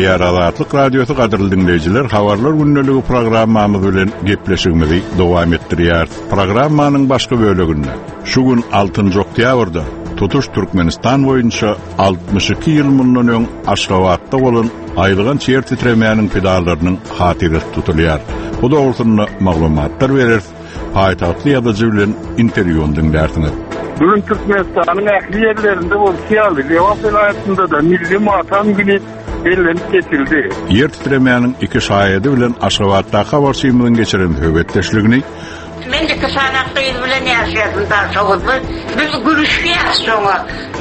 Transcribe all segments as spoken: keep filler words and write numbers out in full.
Gepleýär Azatlyk Radiosy gadyrly dinleýjiler, habarlar gündeligi programmamyz bilen gepleşigimizi dowam etdirýär. Programmanyň başga böleginde şu gün altynjy oktýabrda tutuş Türkmenistan boýunça altmyş iki ýyl mundan öň Aşgabatda bolan aýylganç ýer titremäniň pidalarynyň hatyrasy tutulýar. Bu dogrusynda maglumatlar berer, paýtagtly ýazyjy bilen interwýuny dinlersiňiz. Bugün Türkmenistan'ın ähli yerlerinde bolşy ýaly, Lebap welaýatynda da milli matam günü bellenip geçildi. Ýer titremäniň iki şaýady bilen Aşgabatda habarçymyzyň geçiren söhbetdeşligini Men iki sany gyz bilen ýaşaýardym Daşoguzda. Biz gülüşýäs şoňa.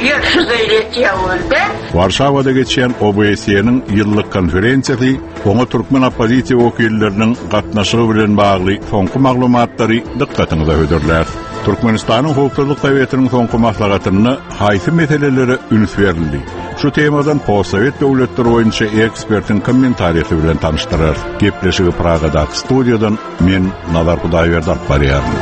Ýer şu zeýlet ýa-da. Warşawada geçen O B S E-niň ýyllyk konferensiýasy oňa türkmen oppozisiýa wekilleriniň gatnaşygy bilen bagly soňky maglumatlary dykgatyňyza hödürlär. Türkmenistanyň Howpsuzlyk Sowetiniň soňky maslahatynda haýsy meselelere üns berildi? Şu temadan postsovet döwletleri boýunça ekspertiň kommentariýasy bilen tanyşdyrar. Gepleşigi Pragadaky studiýadan men Nazar Hudaýberdi alyp barýaryn.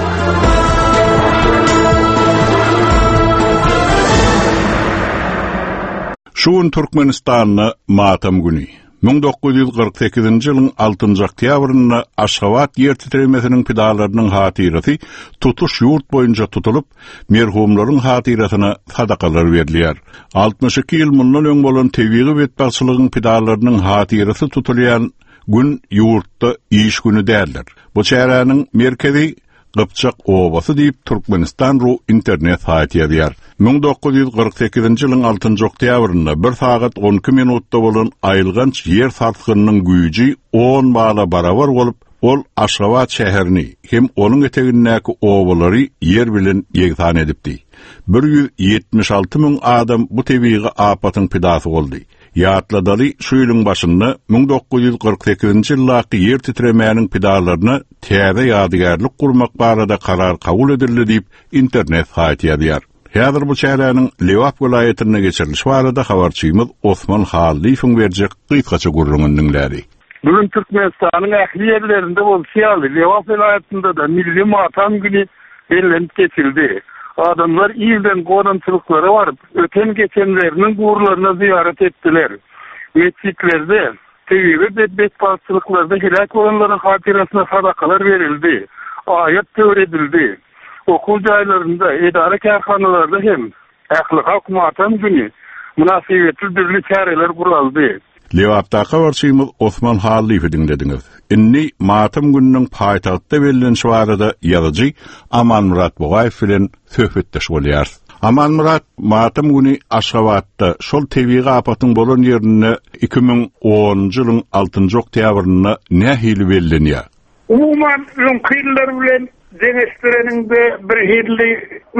Şu gün Türkmenistanda matam günü. Müň dokuz ýüz kyrk sekizinji ýylyň altynjy oktýabrynda Aşgabat ýer titremesiniň pidalarynyň hatyrasy tutuş ýurt boýunça tutulyp, merhumlaryň hatyrasyna sadakalar berilýär. Altmyş iki ýyl mundan öň bolan tebigy betbagtçylygyň pidalarynyň hatyrasy tutulýan gün ýurtda iş günü däldir. Bu çäräniň merkezi Gypjak obasy diýip Türkmenistan ru internet saýty ýazýar. Müň dokuz ýüz kyrk sekizinji ýylyň altynjy oktýabrynda bir sagat on iki minutda bolan aýylganç ýer sarsgynynyň güýji on bala barabar bolup, ol Aşgabat şäherini hem onuň etegindäki obalary ýer bilen ýegsan edipdi. Bir ýüz ýetmiş alty müň adam bu tebigy apatyň pidasy boldy. Ýatladaly şu ýylyň başynda müň dokuz ýüz kyrk sekizinji ýyldaky ýer titremäniň pidalaryna täze ýadygärlik gurmak barada karar kabul edildi diýip internet saýty ýazýar. Häzir bu çäräniň Lebap welaýatynda geçirilişi barada habarçymyz Osman Hallyýewiň berjek gysgaça gürrüňini diňläli. Bugün Türkmenistanyň ähli yerlerinde bolşy ýaly, Lebap welaýatynda da milli matam günü bellenip geçildi. Adamlar irden gonamçylyklara baryp, öten geçenleriniň gurlaryna ziyaret etdiler. Mescitlerde, tebigy betbagtçylyklarda helak bolanlaryň hatyrasyna sadakalar berildi. Aýat töwir edildi. Okuw jaýlarynda, edara kärhanalarda hem ähli halk matam günü münasibetli dürli çäreler guraldy. Lebapda habarçymyz Osman Hallyýewi diňlediňiz. Indi matam gününiň paýtagtda bellenişi barada ýazyjy Amanmyrat Bugaýew bilen söhbetdeş bolýarys. Amanmyrat, matam günü Aşgabatda şol tebigy apatyň bolan ýerinde iki müň onunjy ýylyň altynjy oktýabrynda nähili bellenýär? Umuman öňki ýyllar bilen deňeşdireniňde bir hili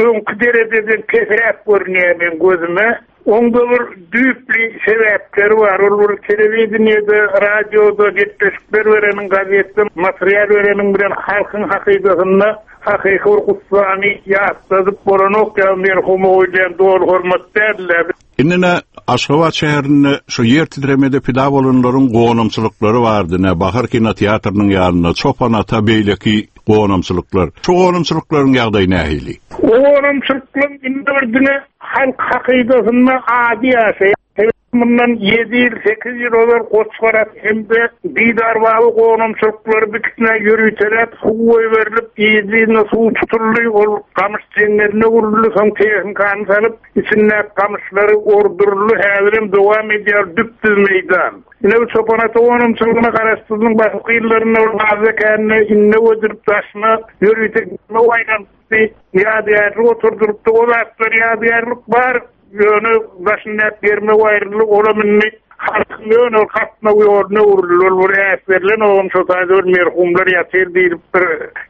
öňki derejeden pesräk görünýär men gözüme. Onda bir düýpli sebäpleri bar. Ol bir telewideniýede, radioda gepleşikler bereniň, gazetde material bereniň bilen halkyň hakydasynda hakyky bir gussany ýatladyp bolanok ýa merhum goýlan doly hormat däldi. Indi ne Aşgabat şäherinde şu ýer titremede pida bolanlaryň gonamçylyklary bardy, ne Bahar kinoteatrynyň ýanynda Çopan ata beýleki gonamçylyklar. Şu gonamçylyklaryň ýagdaýy nähili? Gonamçylyklaryň indi bir diňe halk hakydasynda ady ýaşaýar. Bundan ýedi ýyl, sekiz ýyl ozal Goçgarak hem-de Didar baby gonamçylyklary bikitine ýörüteläp suw goýberilip, ýedi suw tutuldy, ol gamyş jeňňeline uruldy, soň tehnikany salyp, içinde gamyşlary orduruldy, häzir hem dowam edýär düp-düz meýdan. Ine bu Çopan ata gonamçylygyna garaşsyzlygyň başky ýyllarynda ol bazı känine inne ödürip daşyna ýörüte aýlanypdy, ýadygärlik oturdyrypdy, o zatlar ýadygärlik bar. Ýöne başynda germe aýryldy, olam indi halkyň ýöne katma ýoluna uruldy. Ol bir äsberlen oğum şo taýda bir merhumlar ýatyr diýilip bir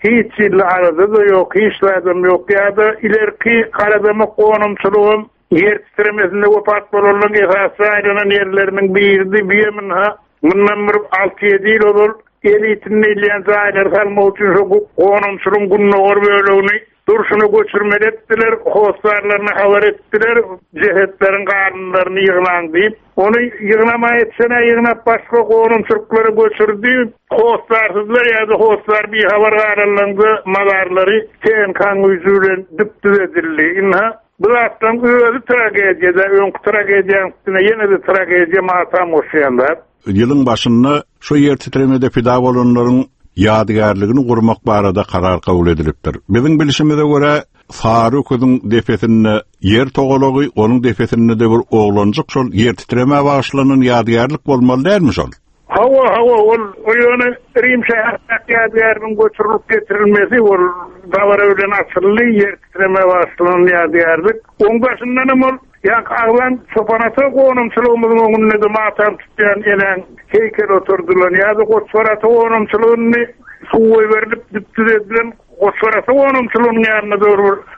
hiç ýyly arada-da ýok, hiç zadam ýok. Ýa-da ilerki Garadamak gonamçylygym ýer titremesinde wepat bolanlaryň esasy aýlanan ýerleriniň biridi. Biýemin ha, mundan bir alty ýedi ýyl ozal elitinde ilýän jaýlary salmak üçin şo gonamçylygyň gündogar bölegini durşuna göçürmeli etdiler, hostarlaryna habar etdiler, cehetleriň garynlaryny ýygnaň diýip, ony ýygnama etsene ýygnap başga gonamçylyklara göçürdi. Hostarsyzlar ýa-da hostar bir habar galanlaryň mazarlary T N K-nyň güýji bilen düp-düz edildi. Inha Bu zatlaryň özi tragediýa-da, öňki tragediýanyň üstüne ýene-de tragediýa matam goşýarlar. Ýylyň başynda şu ýer titremede pida bolanlaryň ýadygärligini gurmak barada karar kabul edilipdir. Biziň bilişimize görä Sary öküziň depesinde ýer togalagy, onuň depesinde de bir oglanjyk şol ýer titremä bagyşlanan ýadygärlik bolmaly dälmi şol? Hawa, hawa, ol o ýöne Rim şäherindäki ýadygärligiň göçürilip getirilmesi ol dabara bilen açyldy, ýer titremä bagyşlanan ýadygärlik. Oň başyndan hem ol ýa aglan Çopanata gonamçylygymyzyň öňünde de matam tutýan enäň heýkel oturdylan ýa-da Goçgarata gonamçylygyny suw berilip düpdüz edilen Goçgarata gonamçylygynyň ýanynda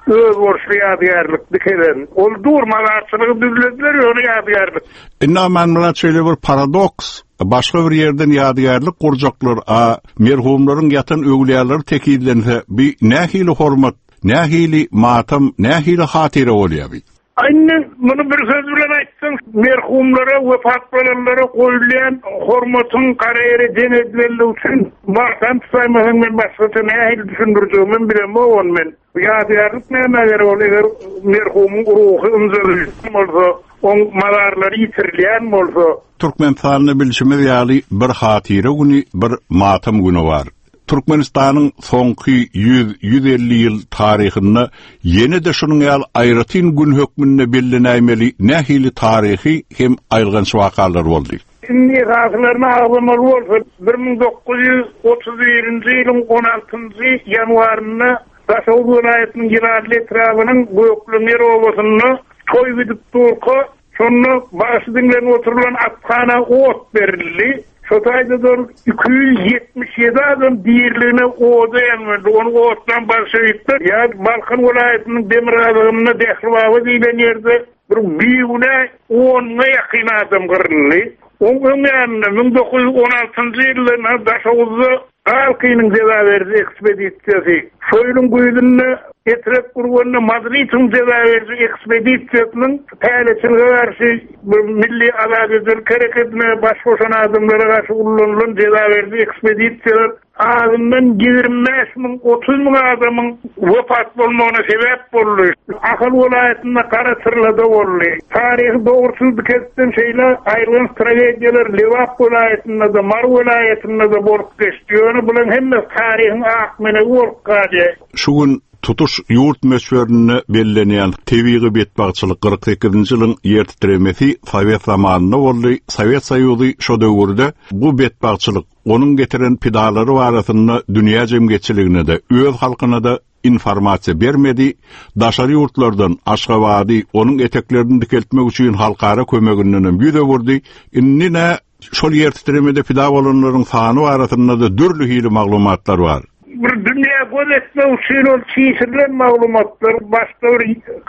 bir öz borçly ýadygärlik dikelen. Ol dur mazarçylygy düzlediler, ýöne ýadygärlik. Indi Amanmyrat şeýle bir paradoks, başga bir ýerden ýadygärlik gurjaklar, a merhumlaryň ýatan öwlüýaları tekizlense, bi nähili hormat, nähili matam, nähili hatyra bolýar bi? Indi muny bir söz bilen aýtsaň, merhumlara, wepat bolanlara goýulýan hormatyň gara ýere deň edilenligi üçin matam tutaymasaň men başgaça nähili düşündirjegimi bilemok ony men. Ýadygärlik näme gerek ol eger merhumyň ruhy ynjalýan bolsa, oň mazarlary ýitirilýän bolsa, Türkmenistanda bilşimiz ýaly bir hatyra güni, bir matam güni bar. Türkmenistanyň soňky ýüz, ýüz elli ýyl taryhynda ýene-de şunuň ýaly aýratyn gün hökmünde bellenäýmeli nähili taryhy hem aýylganç wakalar boldy. Indi esaslaryny agzamaly bolsa, bir müň dokuz ýüz otuz birinji ýylyň on altynjy ýanwarynda Daşoguz welaýatynyň Ýylanly etrabynyň Gökleňer obasynda toý gidip durka, şonda bagşy diňlenip oturylan athana ot berildi. Şo taýda iki ýüz ýetmiş ýedi adam dirligine oda ýanmadı. Onu otdan bolşevikler ýa Balkan welaýatynyň demirgazygynda Dehlibaba diýlen ýerde bir bigünä onuna ýakyn adam gyryldy. Oň öň ýanynda müň dokuz ýüz on altynjy ýylda Daşoguzda Galkynyň jeza beriji ekspedisiýasy, şo ýylyň güýzünde Etrek Gurganda Madridiň jeza beriji ekspedisiýasynyň päleçilige garşy bir milli azat hereketine baş goşan adamlara garşy ullanylan jeza beriji ekspedisiýalar azyndan ýigrimi bäş müň, otuz müň adamyň wepat bolmagyna sebäp boldy. Ahal welaýatynda Garaçyrlada boldy. Taryhy dogruçyl dikeltden şeýle aýrylan tragediýalar Lebap welaýatynda da, Mary welaýatynda da bolup geçdi. Ýöne bularyň hemmesi taryhyň ak menegi bolup galýar. Şu gün tutuş ýurt möçberinde bellenýän tebigy betbagtçylyk kyrk sekizinji ýylyň ýer titremesi Sowet zamanynda boldy. Sowet Soýuzy şo döwürde bu betbagtçylyk onuň getiren pidalary barasynda dünýä jemgyýetçiligine de, öz halkyna da informasiýa bermedi. Daşary ýurtlardan Aşgabady onuň eteklerini dikeltmek üçin halkara kömeginden hem ýüz öwürdi. Indi ne şol ýer titremede pida bolanlaryň sany barasynda da dürli hili maglumatlar bar. Bir dünýä göz etmek üçin ol çişirilen maglumatlar başda bir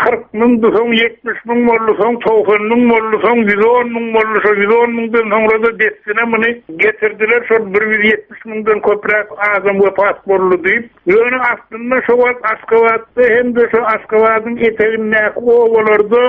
kyrk müň, soň ýetmiş müň boldy, soň togsan müň boldy, soň ýüz on müň boldy, şo ýüz on müňden soňra da dessine muny getirdiler, şol bir ýüz ýetmiş müňden köpräk adam wepat boldy diýip. Ýöne aslynda şo wagt Aşgabatda hem de şo Aşgabadyň etegindäki obalarda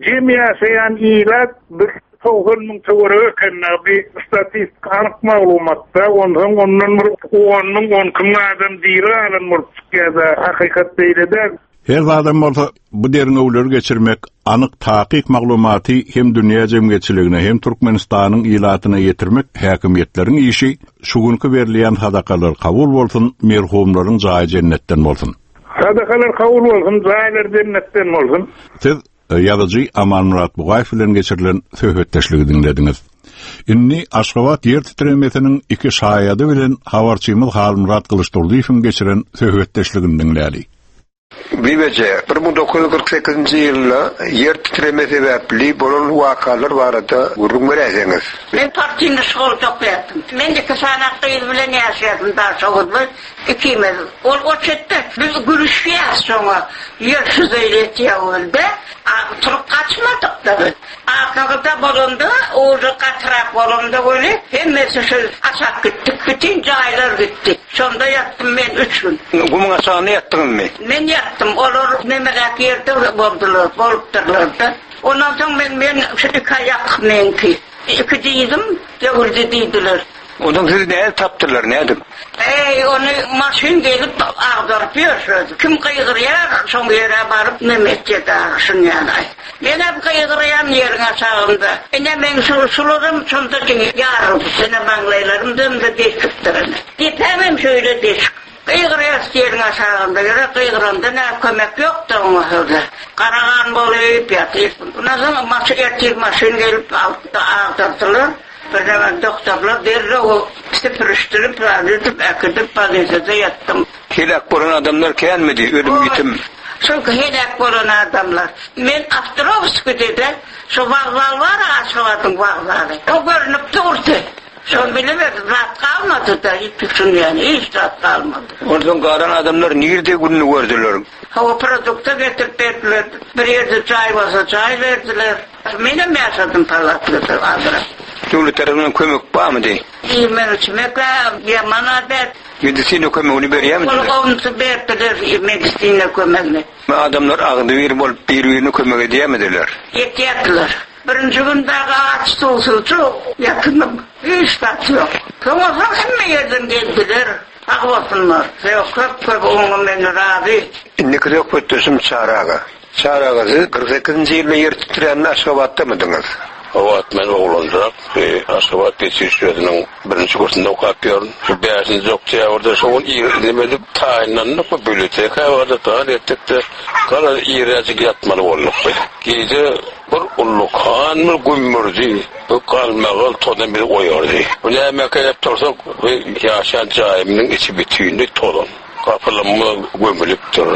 jem ýaşaýan ilat bir togsan müň töweregi eken, bir statistik anyk maglumatda, ondan ondan bir on müň, on iki müň adam diri galan bolup çykýar-da, hakykat beýle däl. Her zadam bolsa bu derňewleri geçirmek, anyk takyk maglumaty hem dünýä jemgyýetçiligine hem Türkmenistanyň ilatyna ýetirmek häkimiýetleriň işi. Şu günki berilýän sadakalar kabul bolsun, merhumlaryň jaýy jennetden bolsun. Sadakalar kabul bolsun, jaýlar jennetden bolsun. Siz ýazyjy Amanmyrat Bugaýew bilen geçirilen söhbetdeşligi diňlediňiz. Indi Aşgabat ýer titremesiniň iki şaýady bilen habarçymyz Halmyrat Gylyçdurdyýewiň geçiren söhbetdeşligini diňläli. Bibeje, bir müň dokuz ýüz kyrk sekizinji ýylda ýer titreme sebäpli bolan wakalar barada gürrüň beräýseňiz. Men partiyny şkolda okuyardım. Men iki sany gyz bilen ýaşaýardym Daşoguzda, ikimiz. Ol oçetde biz gülüşýäs şoňa. Ýer şu zeýlet ýa-da, turup gaçmadyk da biz. Arkada bolanda, oňa gatyrak bolanda weli hemmesi şu aşak gitdik, bütün jaýlar gitdi. Şonda ýatdym men üç gün. Gumuň aşagynda ýatdyňmy? Men ýatdym. Olar nemeräk ýerde boldular, bolupdyrlar da. Ondan soň men, men şu iki aýak meňki. Iki diýdim, döwüldi diýdiler. Ondan sizi nädip tapdylar, nädip? Eý, ony maşyn gelip agdaryp ýörşedi. Kim gygyrýar, şoň ýere baryp neme etjek şun ýaly. Menem gygyrýan ýeriň aşagynda. Ine men şu şularym şonda ýaryldy. Ine maňlaýlarym da deşikdir. Depämem şöyle deşik. Gygyrýar ýeriň aşagynda. Ýere gygyranda ne kömek ýok-da oňa şöyle. Garagan bolup ýatyr. Ondan soň maşyn ertir maşyn gelip alyp agdardylar. Birden doktorlar derrew süpürişdirip, edip, äkidip bolnisada ýatdym. Heläk bolan adamlar känmidi, ölüm ýitim? Şol heläk bolan adamlar. Men Ostrovskide şu wokzal bar, Aşgabadyň wokzaly. O görünip durdy. Şol bilemedim, zat galmady da, hiç düşünýän, hiç zat galmady. Ondan galan adamlar nirde gününü gördüler? Hava produkta getirip berdiler. Bir ýerde jaý bolsa jaý berdiler. Menem ýaşadym palatlyda azrak. Döwlet tarapyndan kömek barmydy? Iýmek içmek ýaman adet. Medisina kömegini berýärmidiler? Ol onsu berdiler medisina kömegini. Adamlar agzybir bolup bir-birine kömek edýärmidiler? Ýetýärdiler. Birinji gün dagy aç suwsuzçu ýatynym. Hiç zat ýok. Soňra hemme ýerden geldiler. Sag bolsunlar. Köp köp oňa men razy. Indiki söhbetdeşim Çary aga. Çary aga, siz kyrk sekizinji ýylda ýer titrände Aşgabatdamydyňyz? O wagt men oglanjak, Aşgabat geçiriş özüniň birinji kursunda okap ýörün. Şu bäşinji oktýabrda şo gün ir edip taýynlandyk we biblioteka bardyk, gar etdik-de, garaz irräjik ýatmaly bolduk. Gije bir ullukan bir gümmürdi, bu galmagal tozan bizi oýardy. Bu näme edip tursak, bu ýaşan jaýymyň içi bütünlük tozan. Gapylarymyz gömülipdir,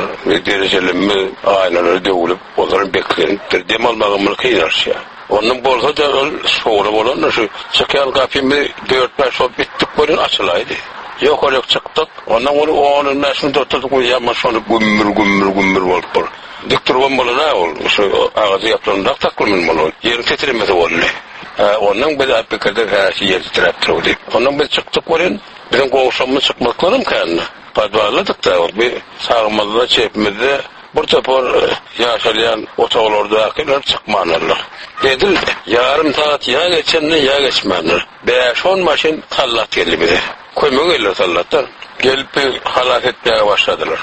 derejelerimiz aýnalary döwülip, olar beklenipdir, dem almagymyz kynlaşýar. Ondan bolsa da ol şowla bolan şu çykýan gapymy dört beş bolup bitdik bolun açylaydy. Ýokaryk çykdyk. Ondan ol on bäş minut oturdyk, ýa şony gümmür gümmür gümmür bolup bir. Dik durgan bolan ha ol şu agajy ýaplandak taklymyn bolan. Ýeriň titremesi boldy. Ondan biz alyp pikirdik, ha şu ýer titrep durdy. Ondan biz çykdyk bolun, biziň goňşumyz çykmaklarym kände. Podwalladyk da bir sağımızda, çepimizde bir topar ýaşalýan otaglardakylar çykmandylar. Edil ýarym saat ýa geçende ýa geçmändir. Bäş on maşyn sallat geldi bize. Kömek geldi sallatdan. Gelip bir halas etmäge başladylar.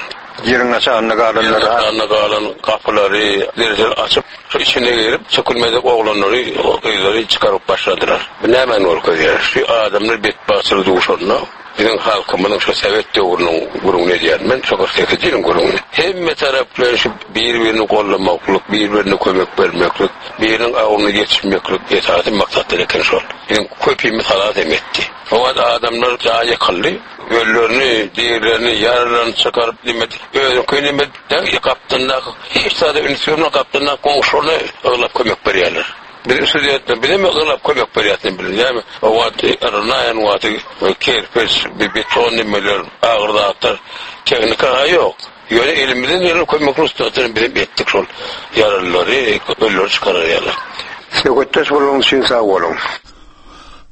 Ýeriň aşagynda galanlar, Ýeriň aşagynda galan gapylary, derejeleri açyp, şu içine girip, sökülmedik oglanlary, gyzlary çykaryp başladylar. Bu nämäni görkezýär? Şu adamlar betbagtçylyk duşanda, biziň halkymyzyň şu Sowet döwrüniň gürrüňini edýän men, şu kyrk sekiz ýylyň gürrüňini. Hemme taraplar şu bir-birini gollamaklyk, bir-birine kömek bermeklik, biriniň awuny geçirmeklik esasy maksatlar eken şol. Biziň köpimiz halas hem etdi. O wagt adamlar jaý ýykyldy, öllerini, dirilerini, ýaralaryny çykaryp nime, özüňki nime, gapdyndaky hiç zada üns bermän gapdyndaky goňşularyna yglap kömek berýärler. Biz studentler bileme yglap kömek berýärler bilen. Ýa o wagt yrnaýan wagty kerpiç, beton nimeler, agyr zatlar, tehnika ýok. Ýöne elimizden gelen kömek rugsatlaryny biz etdik şol ýaralary, ölleri çykarýarlar. Söhbetdeş bolanyňyz üçin sag boluň.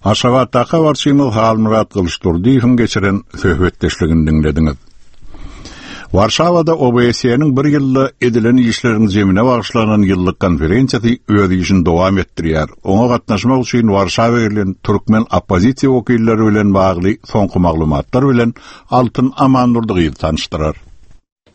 Aşgabatdaky habarçymyz Halmyrat Gylyçdurdyýewiň geçiren söhbetdeşligini diňlediňiz. Warşawada O B S E-niň bir ýylda edilen işleriň jemine bagyşlanan ýyllyk konferensiýasy öz işini dowam etdirýär. Oňa gatnaşmak üçin Warşawa gelen türkmen oppozisiýa wekilleri bilen bagly soňky maglumatlar bilen Altyn Amandurdyýew tanyşdyrar.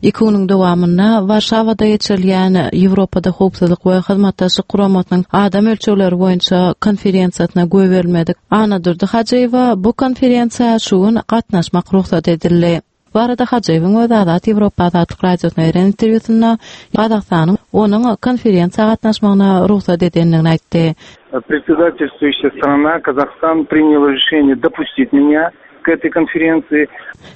Iki günüň dowamynda Warşawada geçirilýän Ýewropada howpsuzlyk we hyzmatdaşlyk guramasynyň adam ölçegleri boýunça konferensiýasyna goýberilmedik Anadurdy Hajyýewa bu konferensiýa şu gün gatnaşmak rugsat edildi. Bu arada Hajyýewiň öz Azat Ýewropa Azatlyk Radiosyna beren interwýusynda Gazagystanyň onuň konferensiýa gatnaşmagyna rugsat edendigini aýtdy. Председательствующая страна Казахстан приняла решение допустить меня к этой конференции.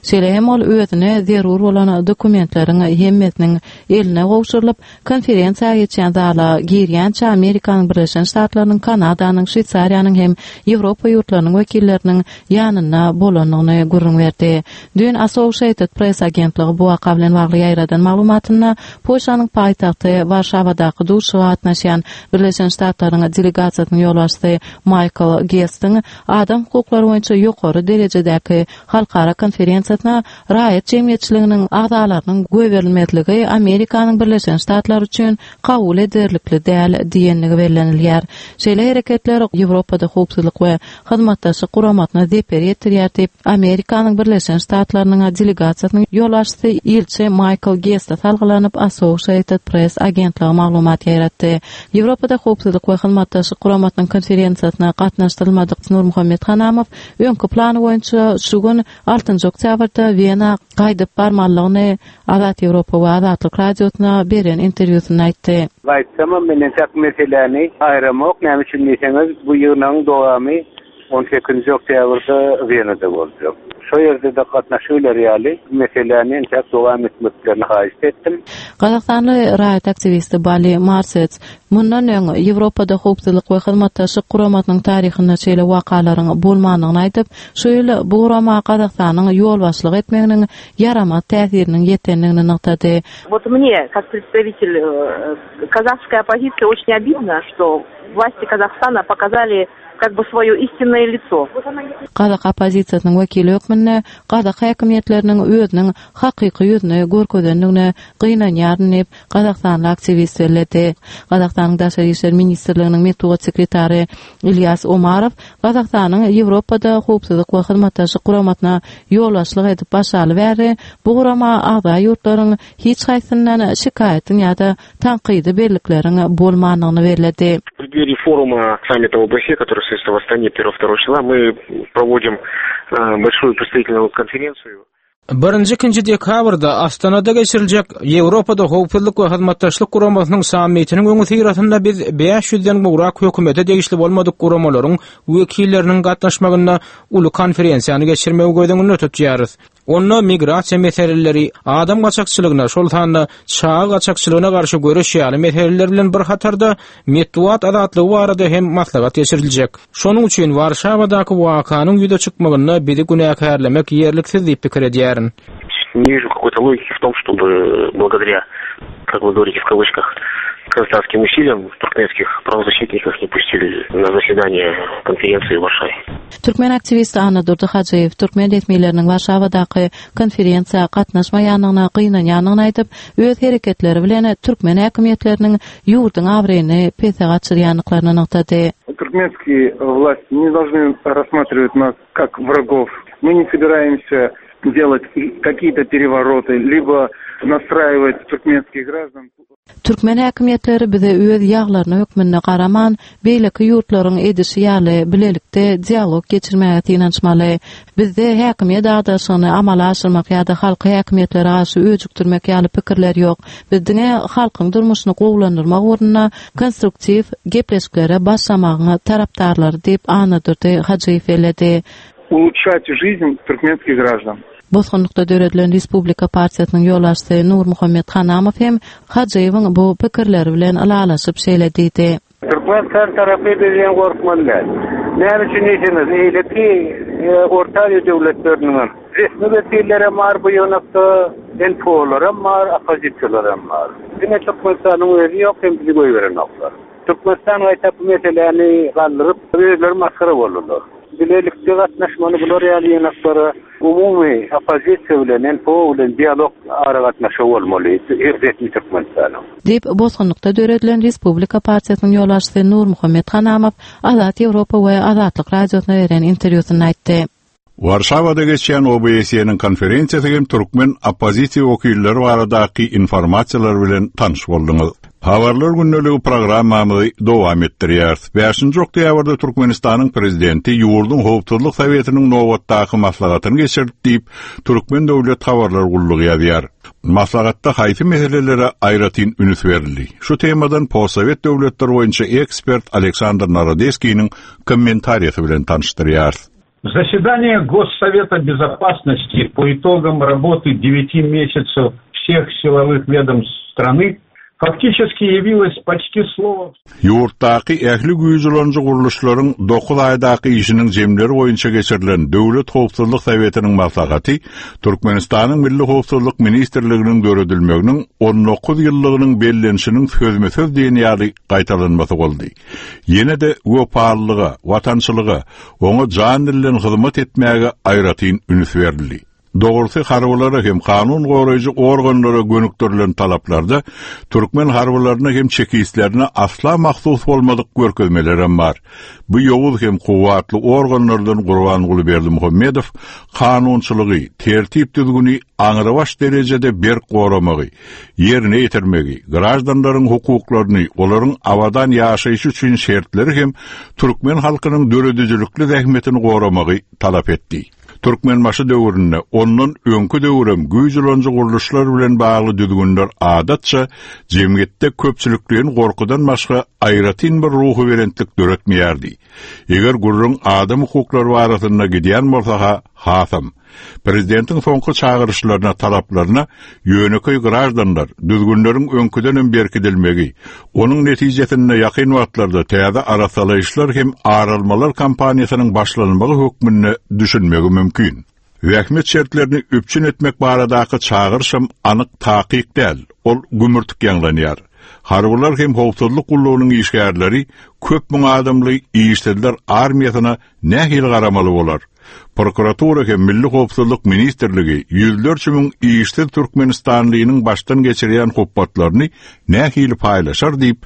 Şeýle hem ol özüne zerur bolan dokumentleriň hemmesiniň eline gowşurylyp, konferensiýa geçýän zala girýänçä Amerikanyň Birleşen Ştatlarynyň, Kanadanyň, Şweýsariýanyň hem Ýewropa ýurtlarynyň wekilleriniň ýanynda bolandygyny gürrüň berdi. Düýn Associated Press agentligi bu waka bilen bagly ýaýradan maglumatynda Polşanyň paýtagty Warşawadaky duşuşyga gatnaşýan Birleşen Ştatlaryň delegasiýasynyň ýolbaşçysy Michael Gestiň adam hukuklary boýunça ýokary derejedäki baradaky halkara konferensiýasyna raýat jemgyýetçiliginiň agzalarynyň goýberilmezligi Amerikanyň Birleşen Ştatlary üçin kabul ederlikli däl diýenligi bellenilýär. Şeýle hereketler Ýewropada howpsuzlyk we hyzmatdaşlyk guramasyna zeper ýetirýär diýip, Amerikanyň Birleşen Ştatlarynyň delegasiýasynyň ýolbaşçysy ilçi Maýkl Geste salgylanyp Associated Press agentligi maglumat ýaýratdy. Ýewropada howpsuzlyk we hyzmatdaşlyk guramasynyň konferensiýasyna gatnaşdyrylmadyk Nurmuhammet Hanamow öňki plany boýunça şu gün altynjy oktýabrda Wena gaýdyp barmalygyny Azat Ýewropa we Azatlyk Radiosyna beren interwýusynda aýtdy. Gaýtsamam men entek meseläni aýramok, näme üçin diýseňiz, bu ýygnagyň dowamy on sekizinji oktýabrda Wenada boljak. Şo ýerde-de gatnaşybiler ýaly meseläni entek dowam etmeklerini haýyşt etdim. Gazagystanly raýat aktiwisti Bali Marsets mundan öň Ýewropada howpsuzlyk we hyzmatdaşlyk guramasynyň taryhynda şeýle wakalaryň bolmandygyny aýdyp, şu ýyl bu gurama Gazagystanyň ýolbaşçylyk etmeginiň ýaramaz täsiriniň ýetendigini nygtady. Вот мне, как представитель, э, казахской оппозиции, очень обидно, что власти Казахстана показали как бы свое истинное лицо. Gazak oppozisiýasynyň wekili hökmünde gazak häkimiýetleriniň özüniň hakyky ýüzüni görkezendigine gynanýaryn diýip, Gazagystanly aktiwist belledi. Gazagystanyň Daşary işler ministrliginiň metbugat sekretary Ilýas Omarow Gazagystanyň Ýewropada howpsuzlyk we hyzmatdaşlyk guramasyna ýolbaşçylyk edip başlaly bäri bu gurama agza ýurtlaryň hiç haýsyndan şikaýatyň ýa-da tankydy bellikleriň bolmandygyny belledi. В преддверии форума саммита ОБСЕ, который состоится в Астане первого-второго числа, мы проводим, э, большую представительную конференцию. Birinji ikinji dekabrda Astanada geçiriljek Ýewropada howpsuzlyk we hyzmatdaşlyk guramasynyň sammitiniň öňüsyrasynda biz bäş ýüzden gowrak hökümete degişli bolmadyk guramalaryň wekilleriniň gatnaşmagynda uly konferensiýany geçirmegi göz öňünde tutýarys. Onda migrasiýa meseleleri, adam gaçakçylygyna, şol sanda çaga gaçakçylygyna garşy göreş ýaly meseleler bilen bir hatarda metbugat azatlygy barada hem maslahat geçiriljek. Şonuň üçin Warşawadaky wakanyň ýüze çykmagynda bizi günäkärlemek ýerliksiz diýip pikir edýärin. Не вижу какой-то логики в том, чтобы благодаря, как вы говорите в кавычках, казахстанским усилиям туркменских правозащитников не пустили на заседание конференции в Варшаве. Türkmen aktiwisti Annadurdy Hajyýew türkmen resmileriniň Warşawadaky konferensiýa gatnaşmaýandygyna gynanýandygyny aýdyp, öz hereketleri bilen türkmen häkimiýetleriniň ýurduň abraýyny pese gaçyrýandyklaryny nygtady. Туркменские власти не должны рассматривать нас как врагов. Мы не собираемся делать какие-то перевороты, либо настраивать туркменских граждан. Türkmen häkimiýetleri bize öz ýaglaryna hökmünde garaman, beýleki ýurtlaryň edişi ýaly bilelikde dialog geçirmäge synanyşmaly. Bizde häkimiýet agdaşyny amala aşyrmak ýa-da halky häkimiýetlere garşy öjükdirmek ýaly pikirler ýok. Biz diňe halkyň durmuşyny gowulandyrmak ugrunda konstruktiw gepleşiklere başlamagyň tarapdarlary diýip Annadurdy Hajyýew belledi. Улучшать жизнь туркменских граждан. Bosgunlykda döredilen Respublika partiýasynyň ýolbaşçysy Nurmuhammet Hanamow hem Hajyýewiň bu pikirleri bilen ylalaşyp şeýle diýdi. Türkmenistan tarapy bizden gorkmaly däl. Näme üçin diýseňiz, eýleki, e, Orta Aziýa döwletleriniň resmi wekilleri bar bu ýonakda, N P O-laram bar, oppozisiýalaram bar. Diňe Türkmenistanyň özi ýok, hem bizi goýberenoklar. Türkmenistan gaýta bu meseläni galdyryp, özleri masgara boldular. Bilelikde gatnaşmaly bular ýaly ýanaklara umumy oppozisiýa bilen, N P O bilen dialog aragatnaşygy bolmaly, resmi Türkmenistanyň. Diýip, Bosgunlykda döredilen Respublika partiýasynyň ýolbaşçysy Nurmuhammet Hanamow Azat Ýewropa we Azatlyk Radiosyna beren interwýusynda aýtdy. Warşawada geçýän O B S E-niň konferensiýasy hem türkmen oppozisiýa wekilleri baradaky informasiýalar bilen tanyş bolduňyz. Habarlar gündeligi programmamyzy dowam etdirýäris. Bäşinji oktýabrda Türkmenistanyň prezidenti ýurduň Howpsuzlyk Sowetiniň nobatdaky maslahatyny geçirdi diýip, Türkmen Döwlet Habarlar Gullugy ýazýar. Maslahatda haýsy meselelere aýratyn üns berildi? Şu temadan postsowet döwletler boýunça ekspert Aleksandr Narodeskiniň kommentariýasy bilen tanyşdyrýar. Заседание Госсовета Безопасности по итогам работы девяти месяцев всех силовых ведомств страны, фактически явилась почти слово Ýurtdaky ähli güýç ulanyjy gurluşlaryň dokuz aýdaky işiniň jemleri boýunça geçirilen Döwlet Howpsuzlyk Sowetiniň maslahaty Türkmenistanyň Milli Howpsuzlyk Ministrliginiň döredilmeginiň on dokuz ýyllygynyň bellenişiniň sözme-söz diýen ýaly gaýtalanmasy boldy. Ýene-de wepalylyga, watançylyga, oňa jan dilden hyzmat etmäge aýratyn üns berildi. Dogrusy harbylara hem kanun goraýjy organlara gönükdirilen talaplarda türkmen harbylaryna hem çekistlerine asla mahsus bolmadyk görkezmelerem bar. Bu ýowuz hem kuwwatly organlardan Gurbanguly Berdimuhamedow kanunçylygy, tertip düzgüni aňrybaş derejede berk goramagy, ýerine ýetirmegi, grajdanlaryň hukuklaryny, olaryň abadan ýaşaýşy üçin şertleri hem türkmen halkynyň döredijilikli zähmetini goramagy talap etdi. Türkmenbaşy döwründe ondan öňkü döwrem güýç ulanyjy gurluşlar bilen bagly düzgünler adatça jemgyýetde köpçülikleýin gorkudan başga aýratyn bir ruhy belentlik döretmeýärdi. Eger gurrun adam hukuklary barasynda gidýän bolsa ha, hasam. Prezidentiň soňky çagyryşlaryna, talaplaryna ýönekeý grajdanlar düzgünleriň öňküdenem berkidilmegi, onuň netijesinde ýakyn wagtlarda täze arasalaýyşlar hem aralmalar kampaniýasynyň başlanmagy hökmünde düşünmegi mümkin. Zähmet şertlerini üpjün etmek baradaky çagyryşam anyk takyk däl, ol gümürtik ýaňlanýar. Harbylar hem howpsuzlyk gullugynyň işgärleri köp müň adamly işsizler armiýasyna nähili garamaly bolar? Prokuratura hem Milli Howpsuzlyk Ministrligi ýüzlerçe müň işsiz Türkmenistanlynyň başdan geçirýän hupbatlaryny nähili paýlaşar diýip,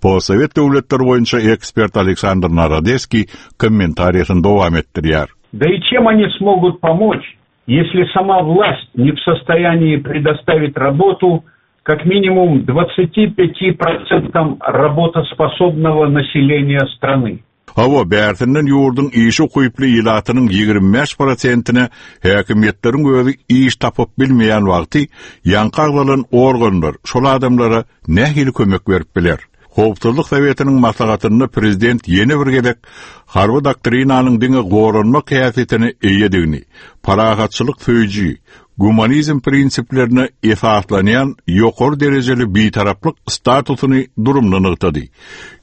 Postsowet döwletleri boýunça ekspert Aleksandr Narodeskiý kommentariýasyny dowam etdirýär. Да и чем они смогут помочь, если сама власть не в состоянии предоставить работу как минимум двадцати пяти процентам работоспособного населения страны? Hawa, bärsinden ýurduň işi ukyply ilatynyň ýigrimi bäş prosentine häkimiýetleriň özi iş tapyp bilmeýän wagty ýaňky agzalan organlar şol adamlara nähili kömek berip biler? Howpsuzlyk Sowetiniň maslahatynda prezident ýene bir gezek harby doktrinanyň diňe goranmak häsiýetine eýedigini, parahatçylyk söýüji, gumanizm prinsiplerine esaslanýan ýokary derejeli bitaraplyk statusyny durumda nygtady.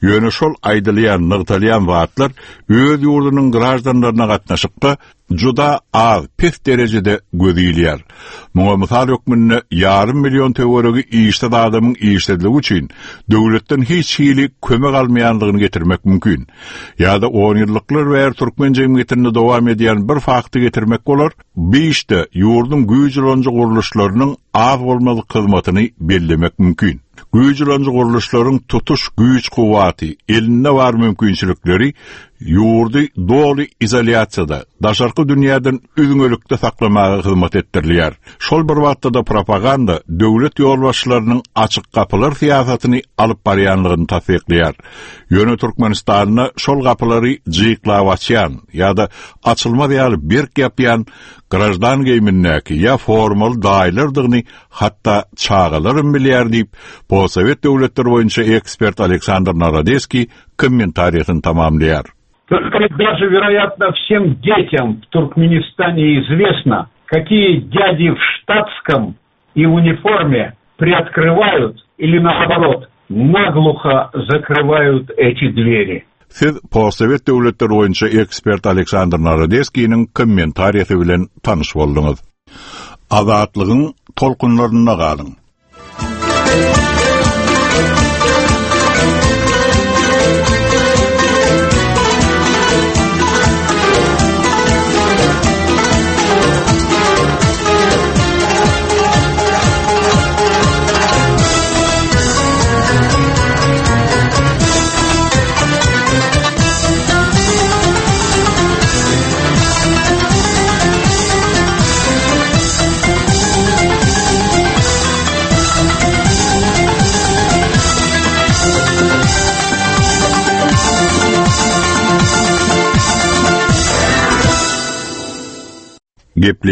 Ýöne şol aýdylýan, nygtalýan zatlar öz ýurdunyň grajdanlaryna gatnaşykda juda az, pes derejede göz ilýär. Muňa mysal hökmünde ýarym million töweregi işsiz adamyň işsizligi üçin döwletden hiç hili kömek almaýanlygyny getirmek mümkin. Ýa-da on ýyllyklar bäri türkmen jemgyýetinde dowam edýän bir fakty getirmek bolar. Bu işte ýurduň güýç ulanyjy gurluşlarynyň az bolmadyk hyzmatyny bellemek mümkin. Güýç ulanyjy gurluşlaryň tutuş güýç kuwwaty, elinde bar mümkinçilikleri ýurdy doly izolýasiýada, daşarky dünýäden üzňelikde saklamaga hyzmat etdirilýär. Şol bir wagtda da propaganda döwlet ýolbaşçylarynyň açyk gapylar syýasatyny alyp barýanlygyny tassyklaýar. Ýöne Türkmenistanda şol gapylary jyklap açýan ýa-da açylmaz ýaly berk ýapýan grajdan geýimindäki ýa formal daýlardygyny hatda çagalaram bilýär diýip, Postsowet döwletleri boýunça ekspert Aleksandr Narodeskiý kommentariýasyny tamamlaýar. Только даже, вероятно, всем детям в Туркменистане известно, какие дяди в штатском и униформе приоткрывают или, наоборот, наглухо закрывают эти двери. Siz Postsowet döwletleri boýunça ekspert Aleksandr Narodeskiniň kommentariýasy bilen tanyş bolduňyz. Azatlygyň tolkunlarynda galyň. Gepli